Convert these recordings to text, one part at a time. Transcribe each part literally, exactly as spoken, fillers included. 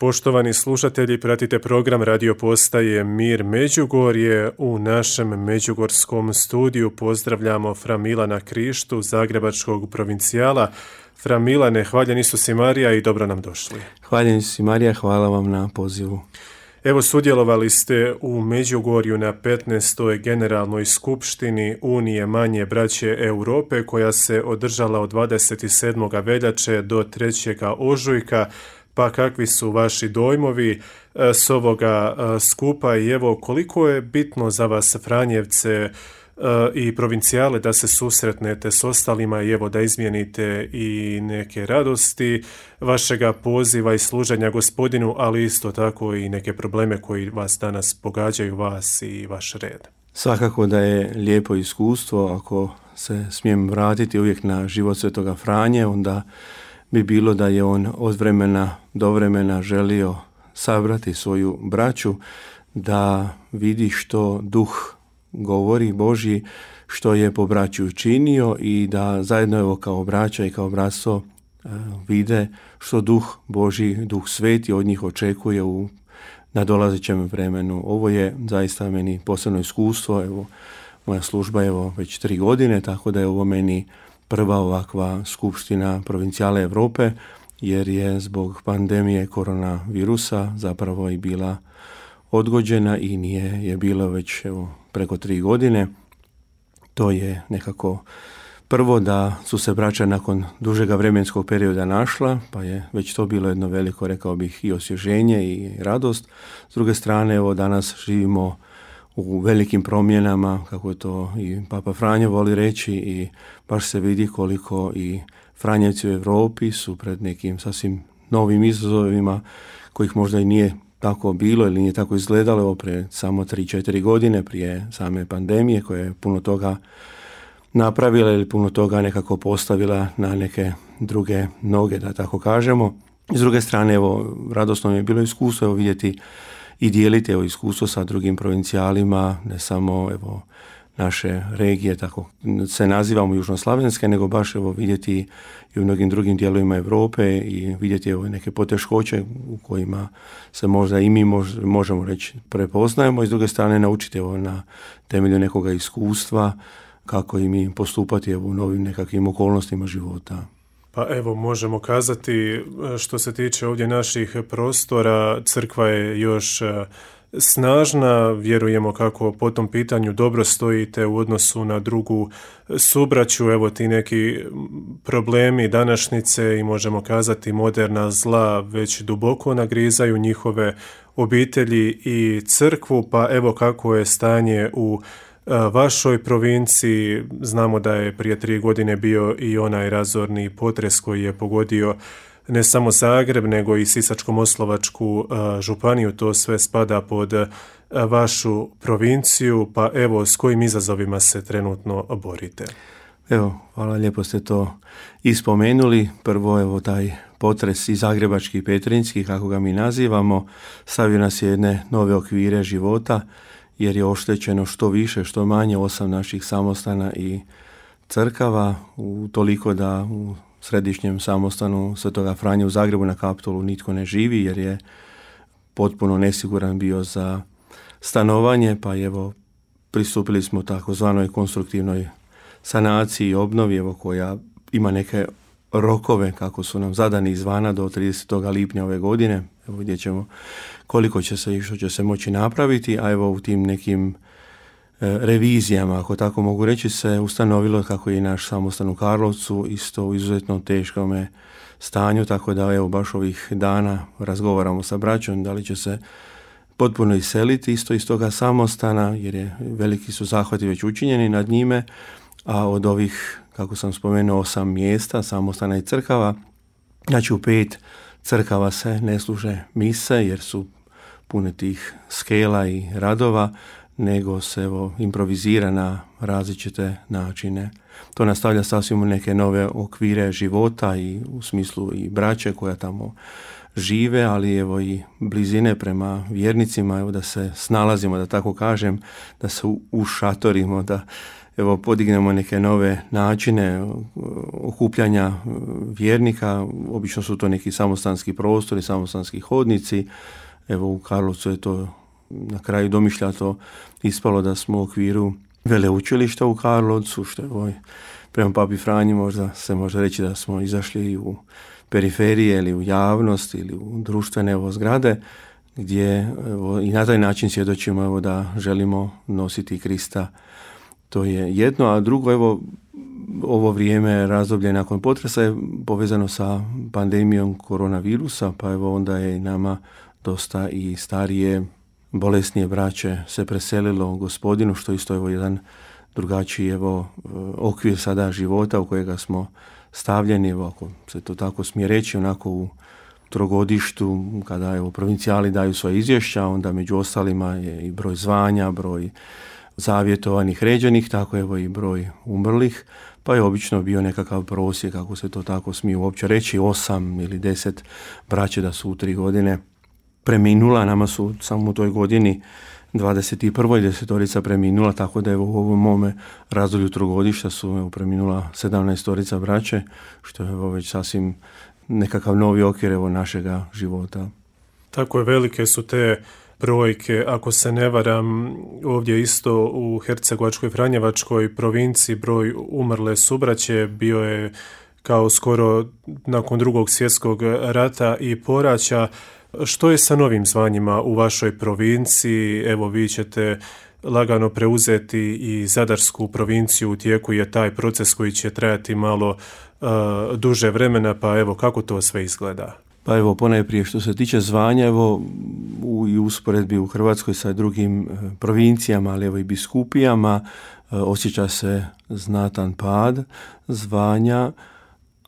Poštovani slušatelji, pratite program radio postaje Mir Međugorje. U našem međugorskom studiju pozdravljamo fra Milana Krištu, zagrebačkog provincijala. Fra Milane, hvaljen Isus i Marija i dobro nam došli. Hvaljen Isus i Marija, hvala vam na pozivu. Evo, sudjelovali ste u Međugorju na petnaestoj generalnoj skupštini Unije manje braće Europe, koja se održala od dvadeset sedmog veljače do trećeg ožujka. Pa kakvi su vaši dojmovi s ovoga skupa i evo koliko je bitno za vas Franjevce i provincijale da se susretnete s ostalima i evo da izmijenite i neke radosti vašega poziva i služenja Gospodinu, ali isto tako i neke probleme koji vas danas pogađaju, vas i vaš red. Svakako da je lijepo iskustvo, ako se smijem vratiti uvijek na život Svetoga Franje, onda bi bilo da je on od vremena do vremena želio sabrati svoju braću, da vidi što duh govori Božji, što je po braću učinio i da zajedno evo kao braća i kao bratstvo vide što duh Božji, duh sveti od njih očekuje u nadolazećem vremenu. Ovo je zaista meni posebno iskustvo, evo moja služba je evo već tri godine, tako da je ovo meni prva ovakva skupština provincijale Europe, jer je zbog pandemije koronavirusa zapravo i bila odgođena i nije je bilo već evo, preko tri godine. To je nekako prvo da su se braća nakon dužega vremenskog perioda našla, pa je već to bilo jedno veliko, rekao bih, i osvježenje i radost. S druge strane, evo danas živimo u velikim promjenama, kako je to i Papa Franjo voli reći, i baš se vidi koliko i Franjevci u Europi su pred nekim sasvim novim izazovima kojih možda i nije tako bilo ili nije tako izgledalo evo pre samo tri četiri godine prije same pandemije, koja je puno toga napravila ili puno toga nekako postavila na neke druge noge, da tako kažemo. S druge strane, evo, radosno mi je bilo iskustvo evo, vidjeti i dijeliti evo, iskustvo sa drugim provincijalima, ne samo evo, naše regije, tako se nazivamo južnoslavenske, nego baš evo, vidjeti i u mnogim drugim dijelovima Europe i vidjeti evo, neke poteškoće u kojima se možda i mi mož, možemo reći prepoznajemo, i s druge strane naučiti evo, na temelju nekoga iskustva kako i mi postupati evo, u novim nekakvim okolnostima života. Pa evo, možemo kazati, što se tiče ovdje naših prostora, crkva je još snažna, vjerujemo kako po tom pitanju dobro stojite u odnosu na drugu subraću, evo ti neki problemi današnjice i možemo kazati moderna zla već duboko nagrizaju njihove obitelji i crkvu, pa evo kako je stanje u vašoj provinciji. Znamo da je prije tri godine bio i onaj razorni potres koji je pogodio ne samo Zagreb, nego i Sisačko-moslavačku županiju. To sve spada pod vašu provinciju, pa evo s kojim izazovima se trenutno borite? Evo, hvala, lijepo ste to ispomenuli. Prvo, evo taj potres i zagrebački i petrinjski, kako ga mi nazivamo, stavio nas jedne nove okvire života, jer je oštećeno što više, što manje osam naših samostana i crkava, u toliko da u središnjem samostanu Svetoga Franje u Zagrebu na Kaptolu nitko ne živi, jer je potpuno nesiguran bio za stanovanje, pa evo pristupili smo takozvanoj konstruktivnoj sanaciji i obnovi, evo, koja ima neke rokove kako su nam zadani izvana do tridesetog lipnja ove godine. Evo vidjet ćemo koliko će se i što će se moći napraviti, a evo u tim nekim e, revizijama, ako tako mogu reći, se ustanovilo kako je i naš samostan u Karlovcu isto u izuzetno teškom stanju, tako da evo baš ovih dana razgovaramo sa braćom da li će se potpuno iseliti isto iz toga samostana, jer je veliki su zahvati već učinjeni nad njime, a od ovih, kako sam spomenuo, osam mjesta samostana i crkava, znači u pet crkava se ne služe mise jer su pune tih skela i radova, nego se evo, improvizira na različite načine. To nastavlja sasvim u neke nove okvire života i u smislu i braće koja tamo žive, ali evo i blizine prema vjernicima, evo da se snalazimo, da tako kažem, da se ušatorimo, da evo podignemo neke nove načine okupljanja vjernika. Obično su to neki samostanski prostori, samostanski hodnici. Evo u Karlovcu je to na kraju domišljato ispalo da smo u okviru veleučilišta u Karlovcu, što je ovaj, prema Papi Franji možda se može reći da smo izašli u periferije ili u javnost ili u društvene evo, zgrade, gdje evo, i na taj način svjedočimo evo, da želimo nositi Krista. To je jedno, a drugo, evo, ovo vrijeme razdoblje nakon potresa je povezano sa pandemijom koronavirusa, pa evo onda je i nama dosta i starije, bolesnije braće se preselilo Gospodinu, što isto evo jedan drugačiji evo okvir sada života u kojega smo stavljeni, evo ako se to tako smije reći, onako u trogodištu, kada evo provincijali daju svoje izvješća, onda među ostalima je i broj zvanja, broj zavjetovanih ređenih, tako evo i broj umrlih, pa je obično bio nekakav prosjek, kako se to tako smije uopće reći, osam ili deset braće da su u tri godine preminula. Nama su samo u toj godini dvadeset prva desetorica preminula, tako da evo u ovom mome razdoblju trogodišta su evo, preminula sedamnaestorica braće, što je evo već sasvim nekakav novi okvir evo našega života. Tako je, velike su te brojke. Ako se ne varam, ovdje isto u Hercegovačkoj Franjevačkoj provinciji broj umrle subraće bio je kao skoro nakon drugog svjetskog rata i poraća. Što je sa novim zvanjima u vašoj provinciji? Evo, vi ćete lagano preuzeti i Zadarsku provinciju, u tijeku je taj proces koji će trajati malo uh, duže vremena, pa evo, kako to sve izgleda? Pa evo, ponajprije što se tiče zvanja, evo, u, i usporedbi u Hrvatskoj sa drugim uh, provincijama, ali evo i biskupijama, uh, osjeća se znatan pad zvanja,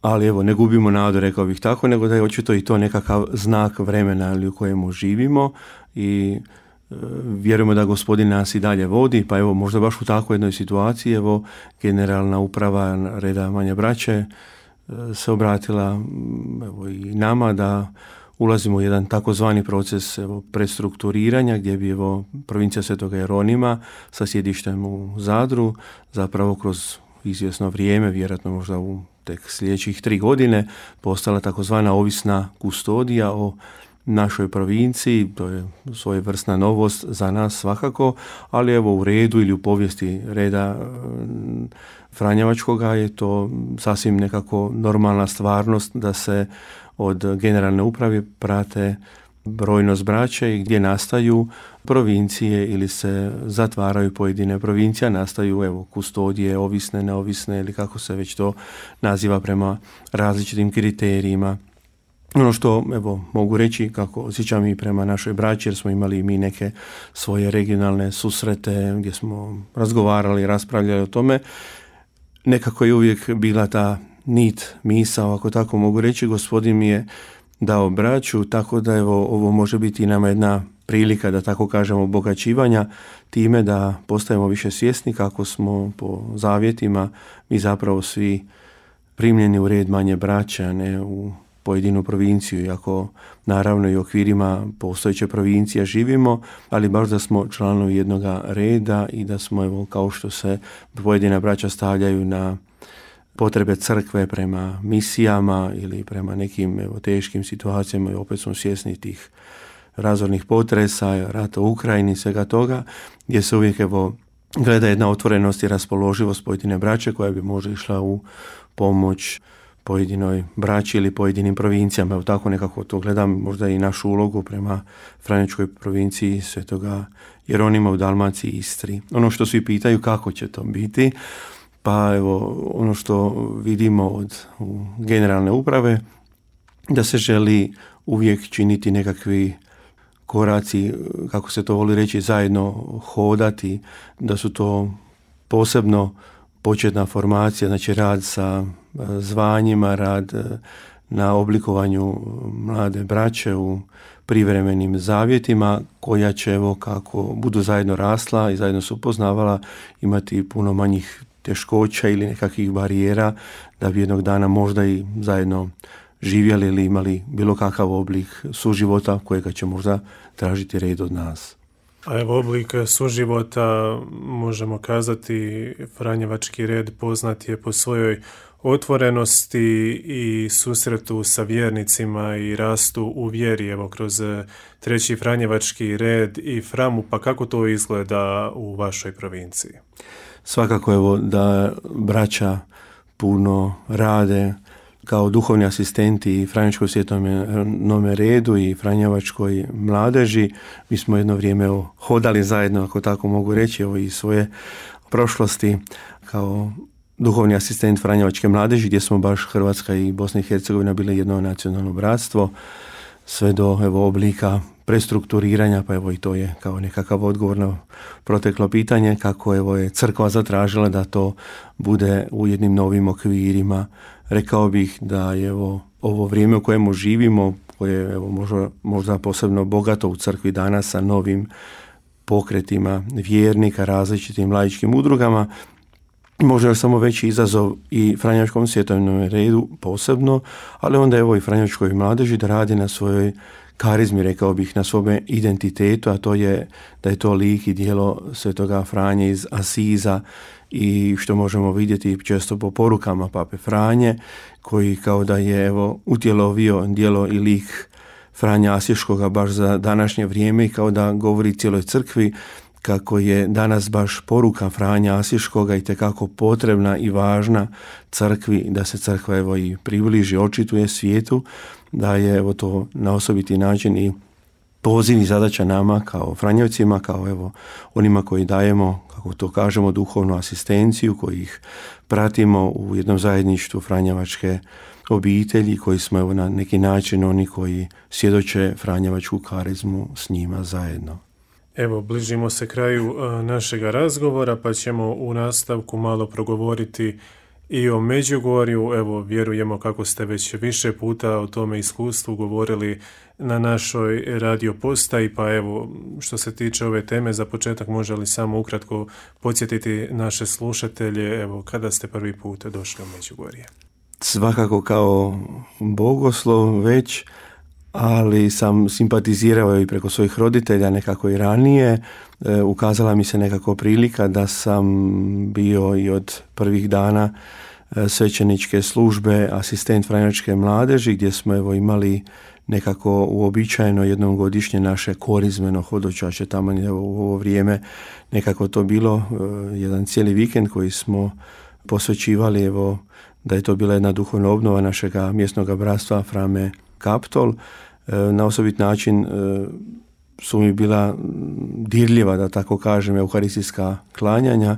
ali evo, ne gubimo nadu, rekao bih tako, nego da je očito i to nekakav znak vremena u kojemu živimo i e, vjerujemo da Gospodin nas i dalje vodi, pa evo, možda baš u takvoj jednoj situaciji, evo, generalna uprava reda Manje braće e, se obratila evo, i nama da ulazimo u jedan takozvani proces evo, prestrukturiranja, gdje bi evo, provincija Svetoga Jeronima sa sjedištem u Zadru zapravo kroz izvjesno vrijeme, vjerojatno možda u tek sljedećih tri godine, postala takozvana ovisna kustodija o našoj provinciji. To je svojevrsna novost za nas svakako, ali evo u redu ili u povijesti reda Franjevačkoga je to sasvim nekako normalna stvarnost da se od generalne uprave prate brojnost braće i gdje nastaju provincije ili se zatvaraju pojedine provincije, nastaju evo kustodije, ovisne, neovisne ili kako se već to naziva prema različitim kriterijima. Ono što evo mogu reći kako osjećam i prema našoj braći, jer smo imali mi neke svoje regionalne susrete gdje smo razgovarali, raspravljali o tome, nekako je uvijek bila ta nit, misao, ako tako mogu reći, Gospodin mi je dao braću, tako da evo ovo može biti i nama jedna prilika, da tako kažemo, obogaćivanja time da postajemo više svjesni kako smo po zavjetima mi zapravo svi primljeni u red Manje braće, a ne u pojedinu provinciju, iako naravno i u okvirima postojeće provincije živimo, ali baš da smo članovi jednoga reda i da smo, evo, kao što se pojedina braća stavljaju na potrebe crkve prema misijama ili prema nekim evo, teškim situacijama, i opet smo svjesni tih razornih potresa, rata u Ukrajini, svega toga, gdje se uvijek evo, gleda jedna otvorenost i raspoloživost pojedine braće koja bi možda išla u pomoć pojedinoj braći ili pojedinim provincijama. Evo tako nekako to gledam, možda i našu ulogu prema Franjevačkoj provinciji Svetoga Jeronima u Dalmaciji i Istri. Ono što svi pitaju kako će to biti, pa evo ono što vidimo od generalne uprave, da se želi uvijek činiti nekakvi koraci, kako se to voli reći, zajedno hodati, da su to posebno početna formacija, znači rad sa zvanjima, rad na oblikovanju mlade braće u privremenim zavjetima, koja će, evo, kako budu zajedno rasla i zajedno se upoznavala, imati puno manjih teškoća ili nekakvih barijera, da bi jednog dana možda i zajedno živjeli ili imali bilo kakav oblik suživota kojega će možda tražiti red od nas. A evo oblik suživota, možemo kazati, Franjevački red poznat je po svojoj otvorenosti i susretu sa vjernicima i rastu u vjeri, evo kroz treći Franjevački red i Framu, pa kako to izgleda u vašoj provinciji? Svakako evo da braća puno rade kao duhovni asistenti i Franjevačkoj svjetovnom redu i Franjevačkoj mladeži. Mi smo jedno vrijeme evo, hodali zajedno, ako tako mogu reći, evo, iz svoje prošlosti kao duhovni asistent Franjevačke mladeži, gdje smo baš Hrvatska i Bosna i Hercegovina bile jedno nacionalno bratstvo, sve do evo, oblika prestrukturiranja, pa evo i to je kao nekakav odgovor na proteklo pitanje, kako evo je crkva zatražila da to bude u jednim novim okvirima. Rekao bih da je evo, ovo vrijeme u kojemu živimo, koje je evo, možda, možda posebno bogato u crkvi danas sa novim pokretima vjernika, različitim laičkim udrugama, možda je samo veći izazov i Franjevačkom svjetovnom redu posebno, ali onda evo i Franjevačkoj mladeži da radi na svojoj karizmi, rekao bih, na svome identitetu, a to je da je to lik i djelo svetoga Franje iz Asiza i što možemo vidjeti često po porukama Pape Franje, koji kao da je evo utjelovio djelo i lik Franja Asiškoga baš za današnje vrijeme i kao da govori cijeloj crkvi kako je danas baš poruka Franja Asiškoga i tekako potrebna i važna crkvi, da se crkva evo i približi, očituje svijetu, da je evo to na osobiti način i poziv i zadaća nama kao Franjevcima, kao evo onima koji dajemo, kako to kažemo, duhovnu asistenciju, koji ih pratimo u jednom zajedništvu Franjevačke obitelji, koji smo evo na neki način oni koji svjedoče Franjevačku karizmu s njima zajedno. Evo, bližimo se kraju našega razgovora, pa ćemo u nastavku malo progovoriti i o Međugorju. Evo, vjerujemo kako ste već više puta o tome iskustvu govorili na našoj radio postaji, pa evo, što se tiče ove teme, za početak može li samo ukratko podsjetiti naše slušatelje, evo, kada ste prvi put došli u Međugorje? Svakako kao bogoslov već, ali sam simpatizirao i preko svojih roditelja nekako i ranije. E, ukazala mi se nekako prilika da sam bio i od prvih dana e, svećeničke službe asistent Franjevačke mladeži, gdje smo evo imali nekako uobičajeno jednom godišnje naše korizmeno hodočašće. Tamo evo, u ovo vrijeme nekako to bilo e, jedan cijeli vikend koji smo posvećivali, evo, da je to bila jedna duhovna obnova našega mjesnog bratstva Frame Kaptol. Na osobit način su mi bila dirljiva, da tako kažem, euharistijska klanjanja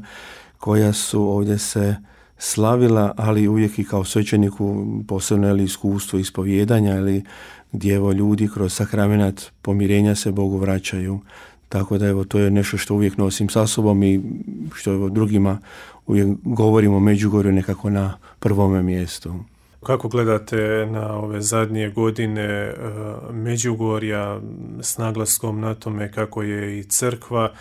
koja su ovdje se slavila, ali uvijek i kao svećeniku posebno ili iskustvo ispovjedanja ili gdje evo ljudi kroz sakramenat pomirenja se Bogu vraćaju. Tako da evo to je nešto što uvijek nosim sa sobom i što evo drugima uvijek govorimo o Međugorju nekako na prvome mjestu. Kako gledate na ove zadnje godine uh, Međugorja s naglaskom na tome kako je i crkva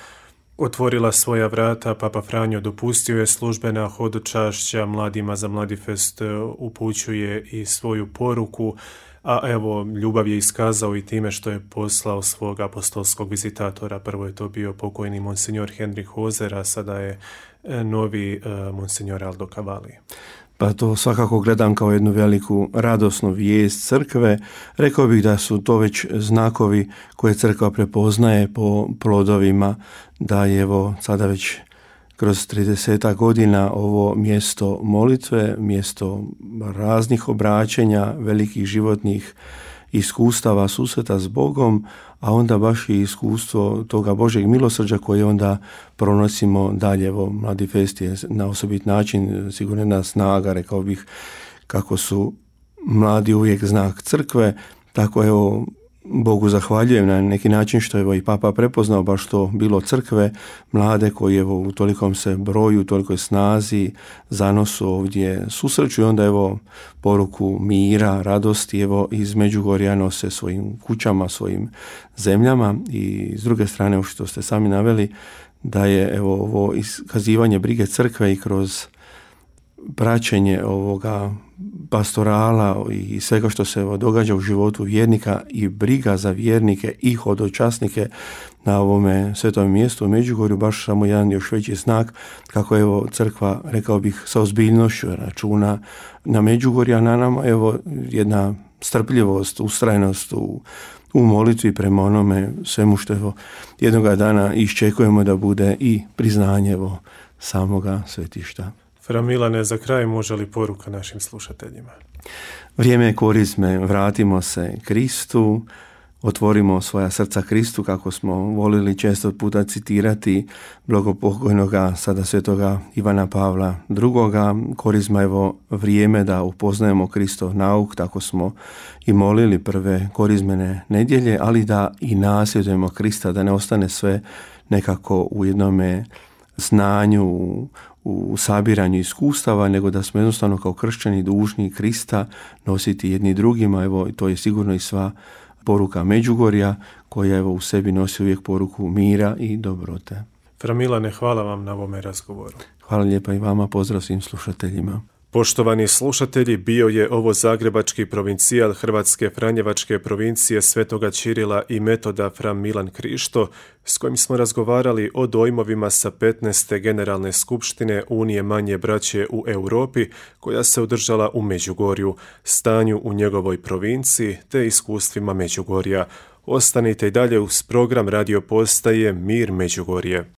otvorila svoja vrata, Papa Franjo dopustio je službena hodočašća mladima, za Mladifest upućuje i svoju poruku, a evo ljubav je iskazao i time što je poslao svog apostolskog vizitatora. Prvo je to bio pokojni monsinjor Henrik Hozer, a sada je novi uh, monsinjor Aldo Cavalli. Pa to svakako gledam kao jednu veliku radosnu vijest crkve. Rekao bih da su to već znakovi koje crkva prepoznaje po plodovima, da je evo sada već kroz trideset godina ovo mjesto molitve, mjesto raznih obraćenja, velikih životnih iskustava susreta s Bogom, a onda baš i iskustvo toga Božjeg milosrđa koje onda pronosimo dalje. Evo, Mladifest je na osobit način sigurno jedna snaga, rekao bih, kako su mladi uvijek znak crkve, tako evo Bogu zahvaljujem na neki način što evo i Papa prepoznao baš to bilo crkve, mlade koji evo u tolikom se broju, u tolikoj snazi, zanosu ovdje susreću i onda evo poruku mira, radosti evo iz Međugorja nose svojim kućama, svojim zemljama. I s druge strane, što ste sami naveli, da je evo ovo iskazivanje brige crkve i kroz praćenje ovoga pastorala i svega što se događa u životu vjernika i briga za vjernike i hodočasnike na ovome svetom mjestu u Međugorju baš samo jedan još veći znak kako evo crkva, rekao bih, sa ozbiljnošću računa na Međugorje, a na nama evo jedna strpljivost, ustrajnost u, u molitvi prema onome svemu što evo jednoga dana iščekujemo da bude i priznanje evo samoga svetišta. Fra Milane, za kraj može li poruka našim slušateljima? Vrijeme je korizme, vratimo se Kristu, otvorimo svoja srca Kristu, kako smo volili često puta citirati blagopokojnoga sada svetoga Ivana Pavla drugoga. Korizma evo vrijeme da upoznajemo Kristov nauk, tako smo i molili prve korizmene nedjelje, ali da i nasljedujemo Krista, da ne ostane sve nekako u jednome znanju, u, u sabiranju iskustava, nego da smo jednostavno kao kršćani dužni Krista nositi jedni drugima. Evo, to je sigurno i sva poruka Međugorja, koja evo u sebi nosi uvijek poruku mira i dobrote. Fra Milane, hvala vam na ovome razgovoru. Hvala lijepa i vama, pozdrav svim slušateljima. Poštovani slušatelji, bio je ovo zagrebački provincijal Hrvatske Franjevačke provincije Svetoga Ćirila i Metoda Fra Milan Krišto, s kojim smo razgovarali o dojmovima sa petnaeste Generalne skupštine Unije manje braće u Europi, koja se održala u Međugorju, stanju u njegovoj provinciji te iskustvima Međugorja. Ostanite i dalje uz program radio postaje Mir Međugorje.